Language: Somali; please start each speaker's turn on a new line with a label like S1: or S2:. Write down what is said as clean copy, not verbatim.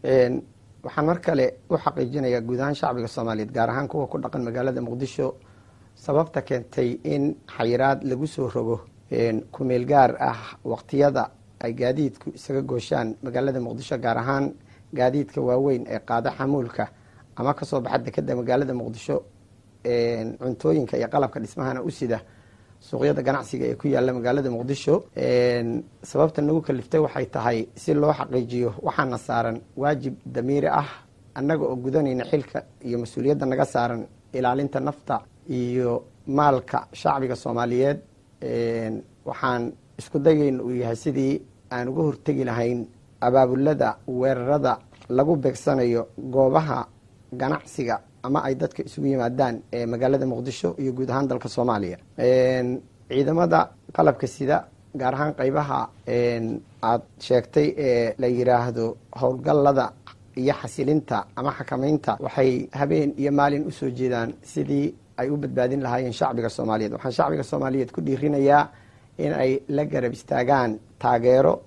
S1: Waxaan mar kale u xaqiijinayaa guud ahaan shacbiga Soomaaliyeed, gaar ahaan kuwa ku dhaqan magaalada Muqdisho, sababta keentay in xayiraad lagu soo rogo kumeel gaar ah waqtiyada ay gaadiidku isaga gooshaan magaalada Muqdisho, gaar ahaan gaadiidka waaweyn ee qaada xamuulka ama kasoo baxa dekeda magaalada Muqdisho, cuntooyinka iyo qalabka dhismahana u sida suuqyada ganacsiga ee ku yaala magaalada Muqdisho. Sababta nagu kaliftay waxay tahay si loo xaqiijiyo waxaana saaran waajib damiiri ah, annaga oo gudanayna xilka iyo mas-uuliyadda naga saaran ilaalinta nafta iyo maalka shacbiga Soomaaliyeed. Waxaan isku dayayna uu yahay sidii aan uga hortegi lahayn abaabulada weerarada lagu beegsanayo goobaha ganacsiga ama ay dadka isugu yimaadaan ee magaalada Muqdisho iyo guud ahaan dalka Soomaaliya. Ciidamada qalabka sida, gaar ahaan qeybaha aad sheegtay ee la yiraahdo howlgallada iyo xasilinta ama xakameynta, waxay habeen iyo maalin usoo jeedaan sidii ay u badbaadin lahaayeen shacbiga Soomaaliyeed. Waxaan shacbiga Soomaaliyeed ku dhiirinayaa in ay la garab istaagaan taageero.